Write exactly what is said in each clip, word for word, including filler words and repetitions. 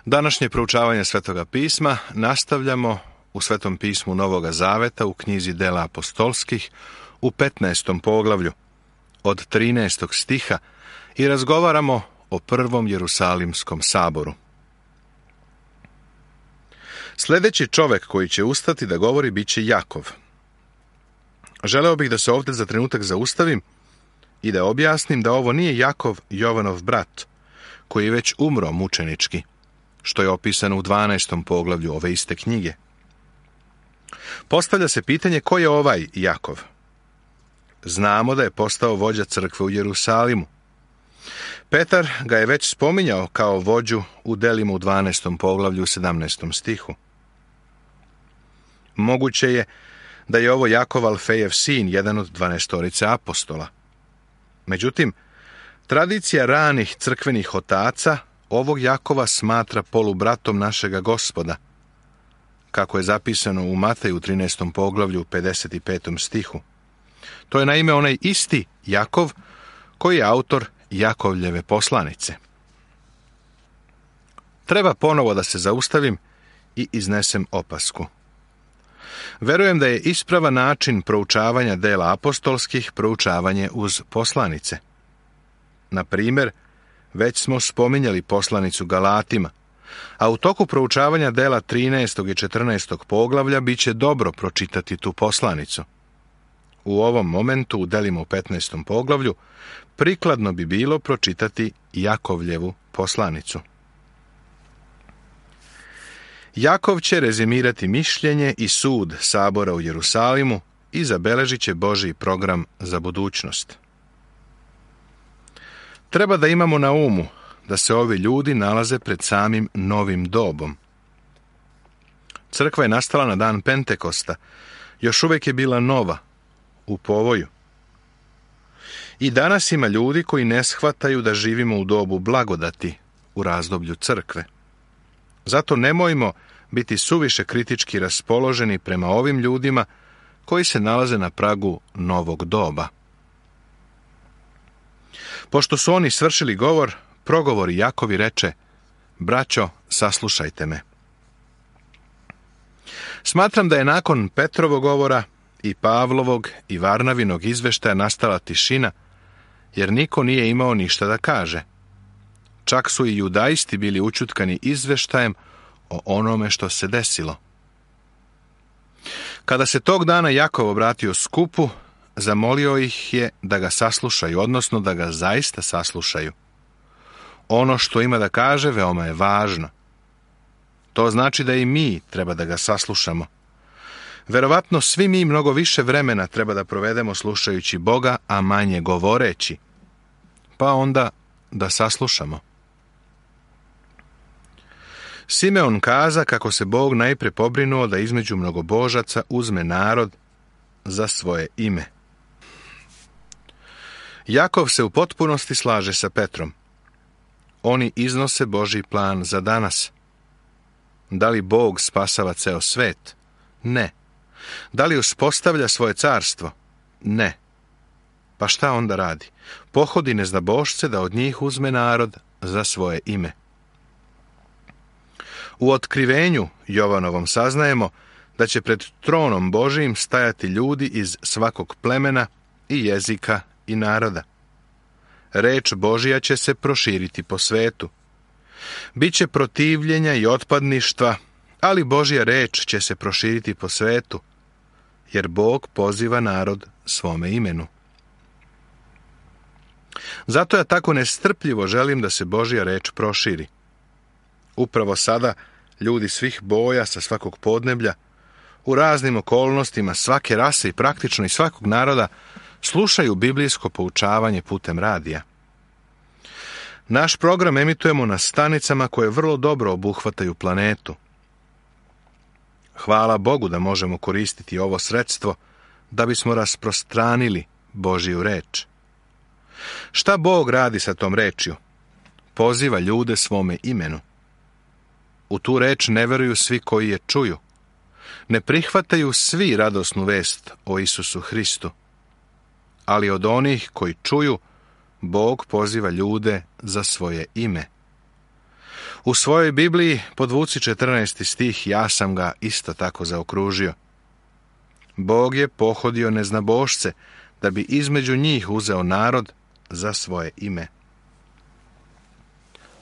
Današnje proučavanje Svetoga pisma nastavljamo u Svetom pismu Novoga Zaveta u knjizi Dela apostolskih u petnaestom poglavlju od trinaestog stiha i razgovaramo o prvom Jerusalimskom saboru. Sljedeći čovjek koji će ustati da govori bit će Jakov. Želeo bih da se ovdje za trenutak zaustavim i da objasnim da ovo nije Jakov, Jovanov brat, koji je već umro mučenički, što je opisano u dvanaestom poglavlju ove iste knjige. Postavlja se pitanje ko je ovaj Jakov. Znamo da je postao vođa crkve u Jerusalimu. Petar ga je već spominjao kao vođu u delima u dvanaestom poglavlju u sedamnaestom stihu. Moguće je da je ovo Jakov Alfejev sin, jedan od dvanaestorice apostola. Međutim, tradicija ranih crkvenih otaca ovog Jakova smatra polubratom našega Gospoda, kako je zapisano u Mateju trinaestom poglavlju u pedeset petom stihu. To je naime onaj isti Jakov koji je autor Jakovljeve poslanice. Treba ponovo da se zaustavim i iznesem opasku. Verujem da je ispravan način proučavanja dela apostolskih proučavanje uz poslanice. Na primjer, već smo spominjali poslanicu Galatima, a u toku proučavanja dela trinaestog i četrnaestog poglavlja bit će dobro pročitati tu poslanicu. U ovom momentu, u delima u petnaestom poglavlju, prikladno bi bilo pročitati Jakovljevu poslanicu. Jakov će rezimirati mišljenje i sud sabora u Jerusalimu i zabeležit će Božji program za budućnost. Treba da imamo na umu da se ovi ljudi nalaze pred samim novim dobom. Crkva je nastala na dan Pentekosta, još uvijek je bila nova, u povoju. I danas ima ljudi koji ne shvataju da živimo u dobu blagodati, u razdoblju crkve. Zato nemojmo biti suviše kritički raspoloženi prema ovim ljudima koji se nalaze na pragu novog doba. Pošto su oni svršili govor, progovori Jakovi reče: braćo, saslušajte me. Smatram da je nakon Petrovog govora i Pavlovog i Varnavinog izveštaja nastala tišina, jer niko nije imao ništa da kaže. Čak su i judaisti bili učutkani izveštajem o onome što se desilo. Kada se tog dana Jakov obratio skupu, zamolio ih je da ga saslušaju, odnosno da ga zaista saslušaju. Ono što ima da kaže veoma je važno. To znači da i mi treba da ga saslušamo. Verovatno svi mi mnogo više vremena treba da provedemo slušajući Boga, a manje govoreći. Pa onda da saslušamo. Simeon kaza kako se Bog najpre pobrinuo da između mnogobožaca uzme narod za svoje ime. Jakov se u potpunosti slaže sa Petrom. Oni iznose Božji plan za danas. Da li Bog spasava ceo svet? Ne. Da li uspostavlja svoje carstvo? Ne. Pa šta onda radi? Pohodi neznabošce da od njih uzme narod za svoje ime. U otkrivenju Jovanovom saznajemo da će pred tronom Božijim stajati ljudi iz svakog plemena i jezika i naroda. Reč Božija će se proširiti po svetu. Biće protivljenja i otpadništva, ali Božja reč će se proširiti po svetu, jer Bog poziva narod svome imenu. Zato ja tako nestrpljivo želim da se Božja reč proširi. Upravo sada ljudi svih boja sa svakog podneblja, u raznim okolnostima svake rase i praktično i svakog naroda slušaju biblijsko poučavanje putem radija. Naš program emitujemo na stanicama koje vrlo dobro obuhvataju planetu. Hvala Bogu da možemo koristiti ovo sredstvo da bismo rasprostranili Božju reč. Šta Bog radi sa tom rečju? Poziva ljude svome imenu. U tu reč ne veruju svi koji je čuju. Ne prihvataju svi radosnu vest o Isusu Hristu. Ali od onih koji čuju, Bog poziva ljude za svoje ime. U svojoj Bibliji podvuci četrnaesti stih, ja sam ga isto tako zaokružio. Bog je pohodio neznabošce, da bi između njih uzeo narod za svoje ime.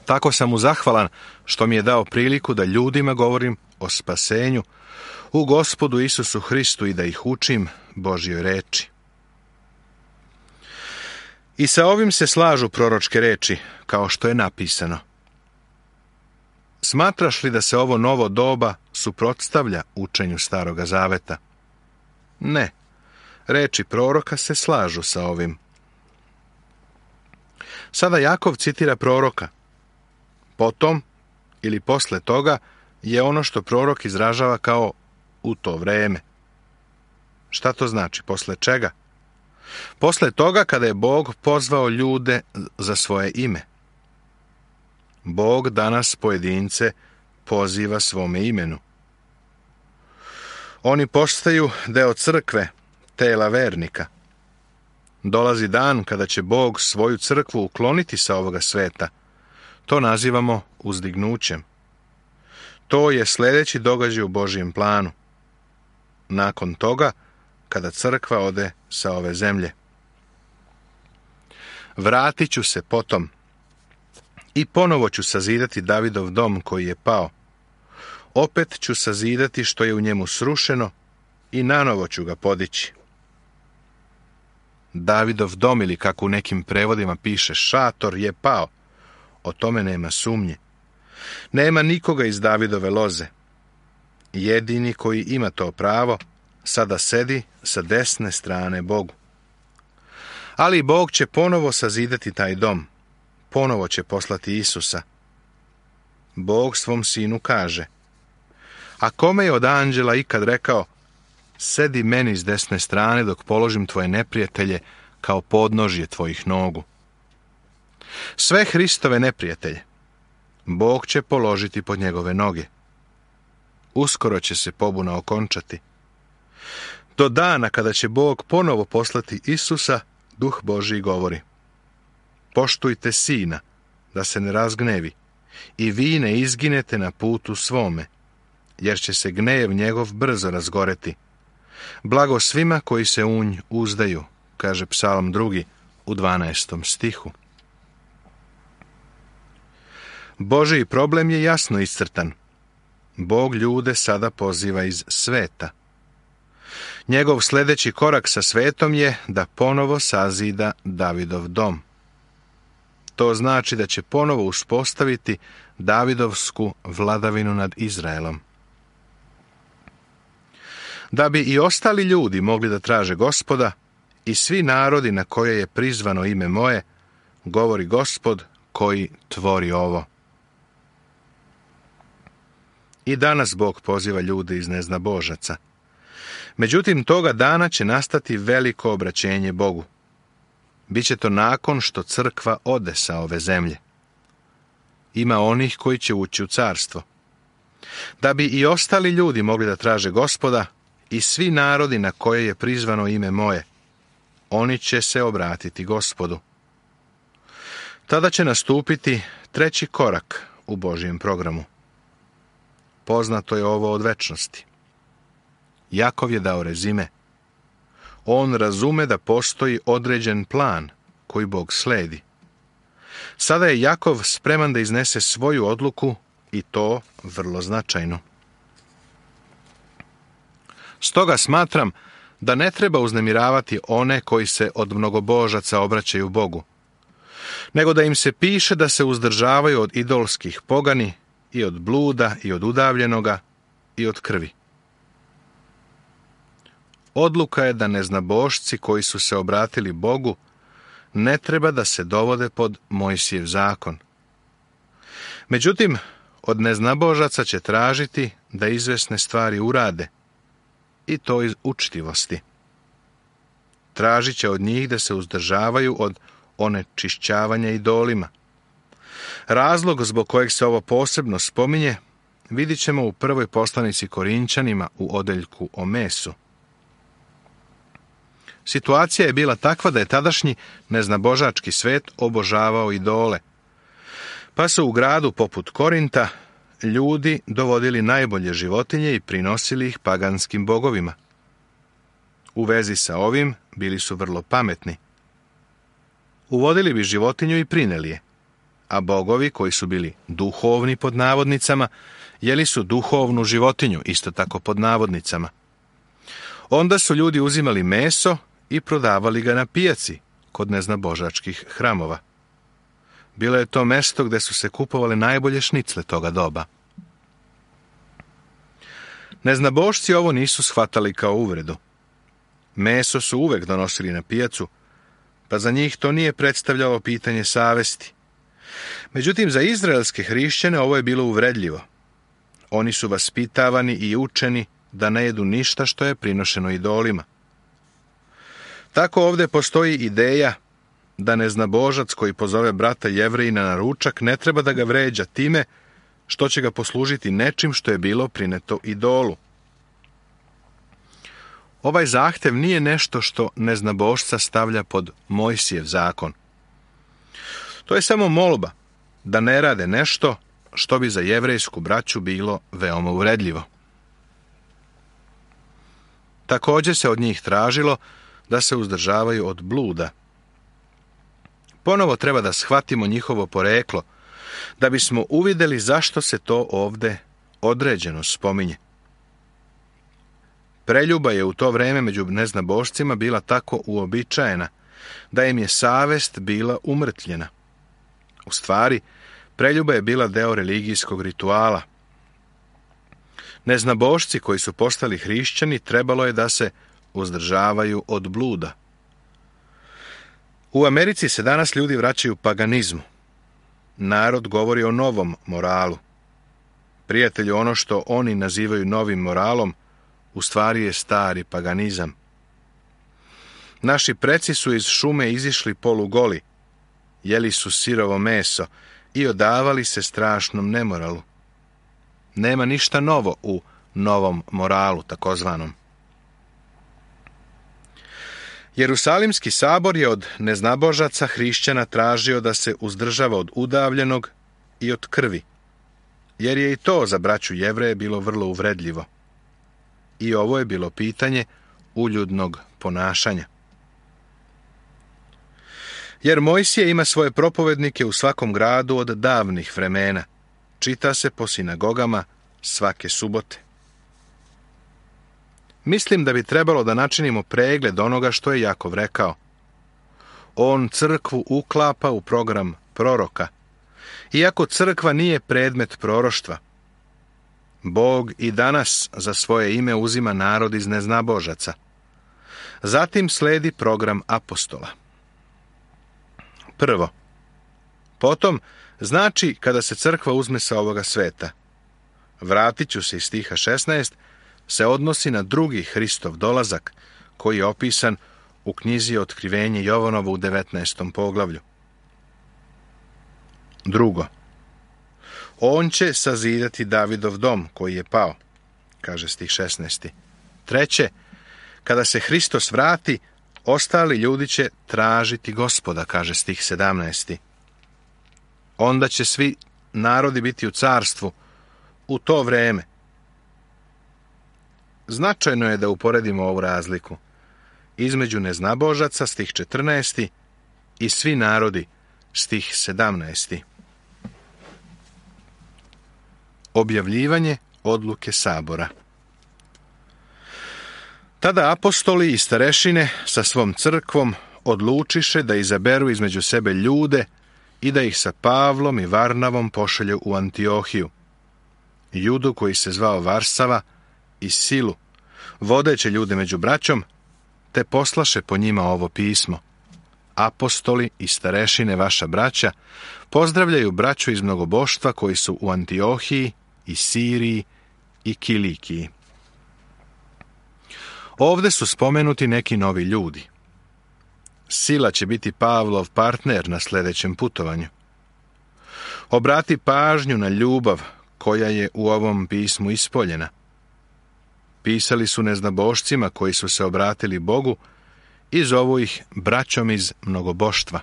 Tako sam mu zahvalan što mi je dao priliku da ljudima govorim o spasenju u Gospodu Isusu Hristu i da ih učim Božjoj reči. I sa ovim se slažu proročke reči, kao što je napisano. Smatraš li da se ovo novo doba suprotstavlja učenju Staroga Zaveta? Ne, reči proroka se slažu sa ovim. Sada Jakov citira proroka. Potom, ili posle toga, je ono što prorok izražava kao u to vreme. Šta to znači? Posle čega? Posle toga kada je Bog pozvao ljude za svoje ime. Bog danas pojedince poziva svome imenu. Oni postaju deo crkve, tela vernika. Dolazi dan kada će Bog svoju crkvu ukloniti sa ovoga sveta. To nazivamo uzdignućem. To je sljedeći događaj u Božjem planu. Nakon toga, kada crkva ode sa ove zemlje. Vratit ću se potom i ponovo ću sazidati Davidov dom koji je pao. Opet ću sazidati što je u njemu srušeno i nanovo ću ga podići. Davidov dom, ili kako u nekim prevodima piše šator, je pao. O tome nema sumnje. Nema nikoga iz Davidove loze. Jedini koji ima to pravo sada sedi sa desne strane Bogu. Ali Bog će ponovo sazidati taj dom. Ponovo će poslati Isusa. Bog svom sinu kaže: a kome je od anđela ikad rekao: sedi meni s desne strane dok položim tvoje neprijatelje kao podnožje tvojih nogu? Sve Hristove neprijatelje Bog će položiti pod njegove noge. Uskoro će se pobuna okončati. Do dana kada će Bog ponovo poslati Isusa, Duh Božji govori: poštujte sina, da se ne razgnevi, i vi ne izginete na putu svome, jer će se gnev njegov brzo razgoreti. Blago svima koji se u nj uzdaju, kaže Psalm drugi u dvanaestom stihu. Božji problem je jasno iscrtan. Bog ljude sada poziva iz sveta. Njegov sljedeći korak sa svetom je da ponovo sazida Davidov dom. To znači da će ponovo uspostaviti Davidovsku vladavinu nad Izraelom. Da bi i ostali ljudi mogli da traže Gospoda, i svi narodi na koje je prizvano ime moje, govori Gospod koji tvori ovo. I danas Bog poziva ljude iz neznabožaca. Međutim, toga dana će nastati veliko obraćenje Bogu. Biće to nakon što crkva ode sa ove zemlje. Ima onih koji će ući u carstvo. Da bi i ostali ljudi mogli da traže Gospoda, i svi narodi na koje je prizvano ime moje, oni će se obratiti Gospodu. Tada će nastupiti treći korak u Božjem programu. Poznato je ovo od večnosti. Jakov je dao rezime. On razume da postoji određen plan koji Bog sledi. Sada je Jakov spreman da iznese svoju odluku, i to vrlo značajno. Stoga smatram da ne treba uznemiravati one koji se od mnogobožaca obraćaju Bogu, nego da im se piše da se uzdržavaju od idolskih pogani i od bluda i od udavljenoga i od krvi. Odluka je da neznabošci koji su se obratili Bogu ne treba da se dovode pod Mojsijev zakon. Međutim, od neznabožaca će tražiti da izvesne stvari urade, i to iz učtivosti. Tražit će od njih da se uzdržavaju od onečišćavanja idolima. Razlog zbog kojeg se ovo posebno spominje vidit ćemo u prvoj poslanici Korinćanima u odeljku o mesu. Situacija je bila takva da je tadašnji neznabožački svet obožavao idole, Pa su u gradu poput Korinta ljudi dovodili najbolje životinje i prinosili ih paganskim bogovima. U vezi sa ovim bili su vrlo pametni. Uvodili bi životinju i prineli je, a bogovi, koji su bili duhovni pod navodnicama, jeli su duhovnu životinju, isto tako pod navodnicama. Onda su ljudi uzimali meso i prodavali ga na pijaci kod neznabožačkih hramova. Bilo je to mesto gdje su se kupovale najbolje šnicle toga doba. Neznabošci ovo nisu shvatali kao uvredu. Meso su uvek donosili na pijacu, pa za njih to nije predstavljalo pitanje savesti. Međutim, za izraelske hrišćane ovo je bilo uvredljivo. Oni su vaspitavani i učeni da ne jedu ništa što je prinošeno idolima. Tako ovdje postoji ideja da neznabožac koji pozove brata Jevrejina na ručak ne treba da ga vređa time što će ga poslužiti nečim što je bilo prineto idolu. Ovaj zahtev nije nešto što neznabošca stavlja pod Mojsijev zakon. To je samo molba da ne rade nešto što bi za jevrejsku braću bilo veoma uvredljivo. Također se od njih tražilo da se uzdržavaju od bluda. Ponovo treba da shvatimo njihovo poreklo, da bismo uvidjeli zašto se to ovdje određeno spominje. Preljuba je u to vrijeme među neznabošcima bila tako uobičajena da im je savest bila umrtljena. U stvari, preljuba je bila deo religijskog rituala. Neznabošci koji su postali hrišćani trebalo je da se uzdržavaju od bluda. U Americi se danas ljudi vraćaju paganizmu. Narod govori o novom moralu. Prijatelju, ono što oni nazivaju novim moralom, u stvari je stari paganizam. Naši preci su iz šume izišli polugoli, jeli su sirovo meso i odavali se strašnom nemoralu. Nema ništa novo u novom moralu, takozvanom. Jerusalimski sabor je od neznabožaca hrišćana tražio da se uzdržava od udavljenog i od krvi, jer je i to za braću Jevreje bilo vrlo uvredljivo. I ovo je bilo pitanje uljudnog ponašanja. Jer Mojsije ima svoje propovednike u svakom gradu od davnih vremena. Čita se po sinagogama svake subote. Mislim da bi trebalo da načinimo pregled onoga što je Jakov rekao. On crkvu uklapa u program proroka, iako crkva nije predmet proroštva. Bog i danas za svoje ime uzima narod iz neznabožaca. Zatim sledi program apostola. Prvo. Potom, znači kada se crkva uzme sa ovoga sveta. Vratit ću se iz stiha šesnaest, se odnosi na drugi Hristov dolazak, koji je opisan u knjizi Otkrivenje Jovanovo u devetnaestom poglavlju. Drugo. On će sazidati Davidov dom koji je pao, kaže stih šesnaesti. Treće, kada se Hristos vrati, ostali ljudi će tražiti Gospoda, kaže stih sedamnaesti. Onda će svi narodi biti u carstvu u to vrijeme. Značajno je da uporedimo ovu razliku između neznabožaca, stih četrnaesti, i svi narodi, stih sedamnaesti. Objavljivanje odluke sabora. Tada apostoli i starešine sa svom crkvom odlučiše da izaberu između sebe ljude i da ih sa Pavlom i Varnavom pošalju u Antiohiju. Judu koji se zvao Varsava i Silu, vodeće ljude među braćom, te poslaše po njima ovo pismo. Apostoli i starešine vaša braća pozdravljaju braću iz mnogoboštva koji su u Antiohiji i Siriji i Kilikiji. Ovde su spomenuti neki novi ljudi. Sila će biti Pavlov partner na sljedećem putovanju. Obrati pažnju na ljubav koja je u ovom pismu ispoljena. Pisali su neznabošcima koji su se obratili Bogu i zovu ih braćom iz mnogoboštva.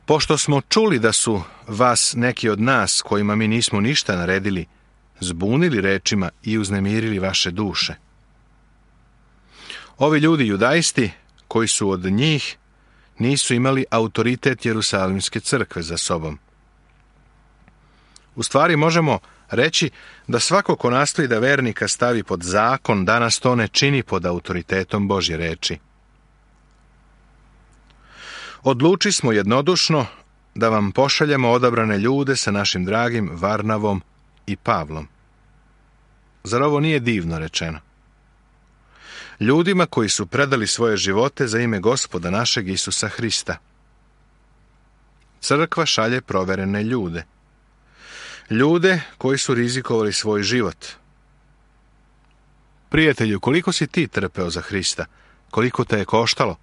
Pošto smo čuli da su vas neki od nas, kojima mi nismo ništa naredili, zbunili rečima i uznemirili vaše duše. Ovi ljudi judaisti, koji su od njih, nisu imali autoritet Jerusalimske crkve za sobom. U stvari možemo reći da svako ko nastoji da vernika stavi pod zakon, danas to ne čini pod autoritetom Božje reči. Odluči smo jednodušno da vam pošaljemo odabrane ljude sa našim dragim Varnavom i Pavlom. Zar ovo nije divno rečeno? Ljudima koji su predali svoje živote za ime Gospoda našeg Isusa Hrista. Crkva šalje proverene ljude. Ljude koji su rizikovali svoj život. Prijatelju, koliko si ti trpeo za Hrista? Koliko te je koštalo?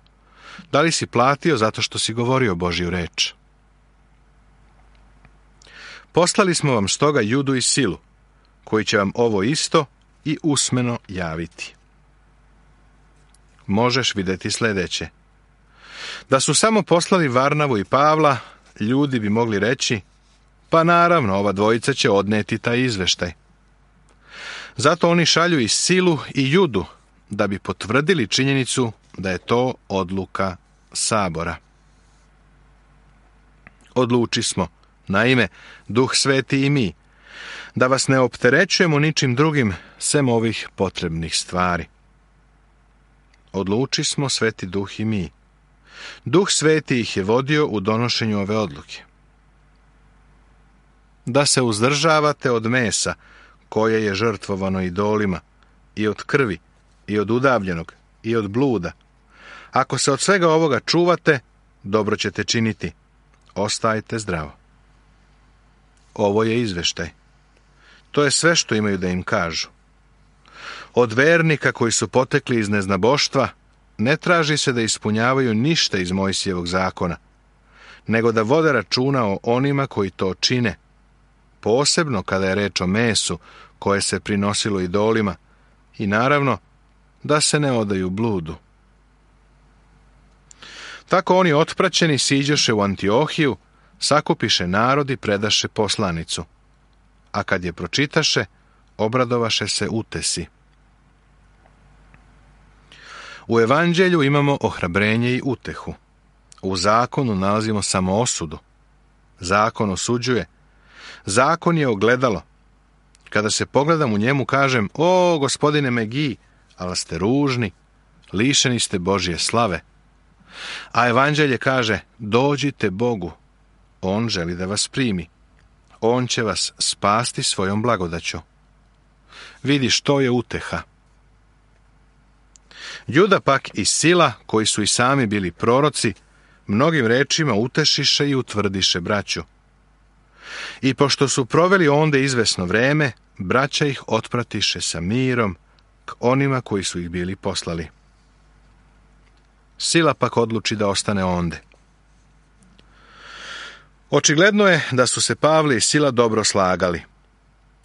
Da li si platio zato što si govorio Božju reč? Poslali smo vam stoga Judu i Silu, koji će vam ovo isto i usmeno javiti. Možeš vidjeti sljedeće. Da su samo poslali Varnavu i Pavla, ljudi bi mogli reći, pa naravno, ova dvojica će odneti taj izveštaj. Zato oni šalju i Silu i Judu, da bi potvrdili činjenicu da je to odluka sabora. Odluči smo, naime, Duh Sveti i mi, da vas ne opterećujemo ničim drugim sem ovih potrebnih stvari. Odluči smo, Sveti Duh i mi. Duh Sveti ih je vodio u donošenju ove odluke. Da se uzdržavate od mesa, koje je žrtvovano idolima, i od krvi, i od udavljenog, i od bluda. Ako se od svega ovoga čuvate, dobro ćete činiti. Ostajte zdravo. Ovo je izveštaj. To je sve što imaju da im kažu. Od vernika koji su potekli iz neznaboštva, ne traži se da ispunjavaju ništa iz Mojsijevog zakona, nego da vode računa o onima koji to čine, posebno kada je reč o mesu koje se prinosilo idolima, i naravno da se ne odaju bludu. Tako oni otpraćeni siđoše u Antiohiju, sakupiše narod i predaše poslanicu, a kad je pročitaše, obradovaše se utesi. U evanđelju imamo ohrabrenje i utehu. U zakonu nalazimo samo osudu. Zakon osuđuje. Zakon je ogledalo. Kada se pogledam u njemu, kažem, o, gospodine Megi, ali ste ružni, lišeni ste Božje slave. A evanđelje kaže, dođite Bogu. On želi da vas primi. On će vas spasti svojom blagodaću. Vidi što je uteha. Juda pak i Sila, koji su i sami bili proroci, mnogim rečima utešiše i utvrdiše braću. I pošto su proveli onde izvesno vreme, braća ih otpratiše sa mirom k onima koji su ih bili poslali. Sila pak odluči da ostane onde. Očigledno je da su se Pavle i Sila dobro slagali.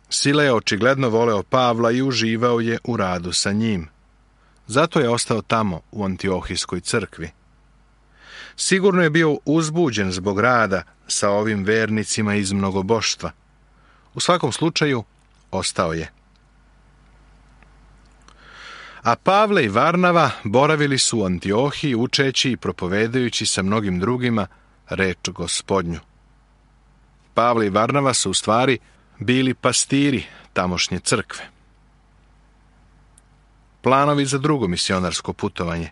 Sila je očigledno voleo Pavla i uživao je u radu sa njim. Zato je ostao tamo u Antiohijskoj crkvi. Sigurno je bio uzbuđen zbog rada sa ovim vernicima iz mnogoboštva. U svakom slučaju, ostao je. A Pavle i Varnava boravili su u Antiohiji učeći i propovedajući sa mnogim drugima reč Gospodnju. Pavle i Varnava su u stvari bili pastiri tamošnje crkve. Planovi za drugo misionarsko putovanje.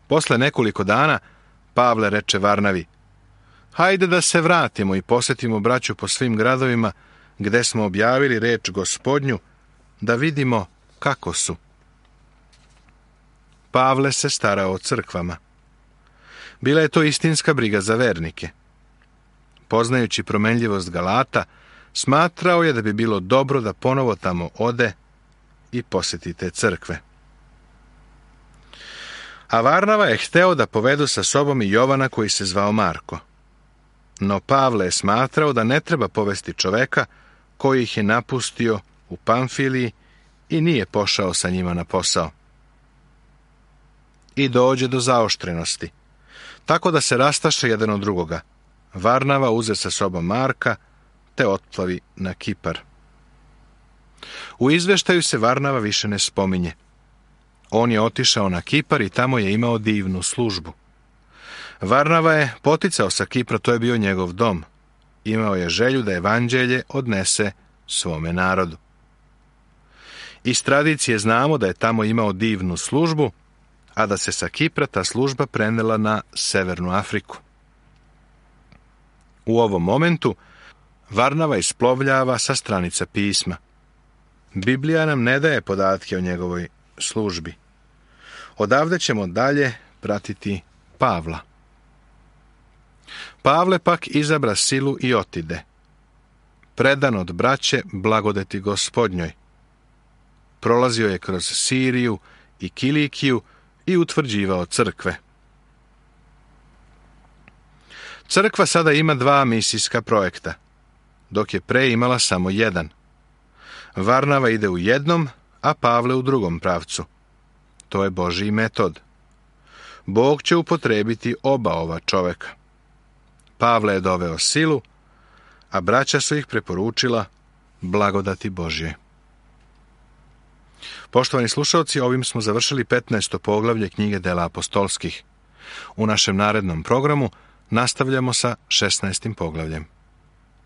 Posle nekoliko dana Pavle reče Varnavi, hajde da se vratimo i posjetimo braću po svim gradovima gde smo objavili reč Gospodnju, da vidimo kako su. Pavle se starao o crkvama. Bila je to istinska briga za vernike. Poznajući promenljivost Galata, smatrao je da bi bilo dobro da ponovo tamo ode i posjeti te crkve. A Varnava je hteo da povedu sa sobom i Jovana koji se zvao Marko. No Pavle je smatrao da ne treba povesti čoveka koji ih je napustio u Pamfiliji i nije pošao sa njima na posao. I dođe do zaoštrenosti. Tako da se rastaše jedan od drugoga. Varnava uze sa sobom Marka, te otplavi na Kipar. U izveštaju se Varnava više ne spominje. On je otišao na Kipar i tamo je imao divnu službu. Varnava je poticao sa Kipra, to je bio njegov dom. Imao je želju da evanđelje odnese svome narodu. Iz tradicije znamo da je tamo imao divnu službu, a da se sa Kipra ta služba prenela na Severnu Afriku. U ovom momentu Varnava isplovljava sa stranica pisma. Biblija nam ne daje podatke o njegovoj službi. Odavde ćemo dalje pratiti Pavla. Pavle pak izabra silu i otide. Predan od braće blagodeti Gospodnjoj. Prolazio je kroz Siriju i Kilikiju i utvrđivao crkve. Crkva sada ima dva misijska projekta, dok je pre imala samo jedan. Varnava ide u jednom, a Pavle u drugom pravcu. To je Božji metod. Bog će upotrebiti oba ova čoveka. Pavle je doveo silu, a braća su ih preporučila blagodati Božje. Poštovani slušalci, ovim smo završili petnaesto poglavlje knjige Dela apostolskih. U našem narednom programu nastavljamo sa šesnaestim poglavljem.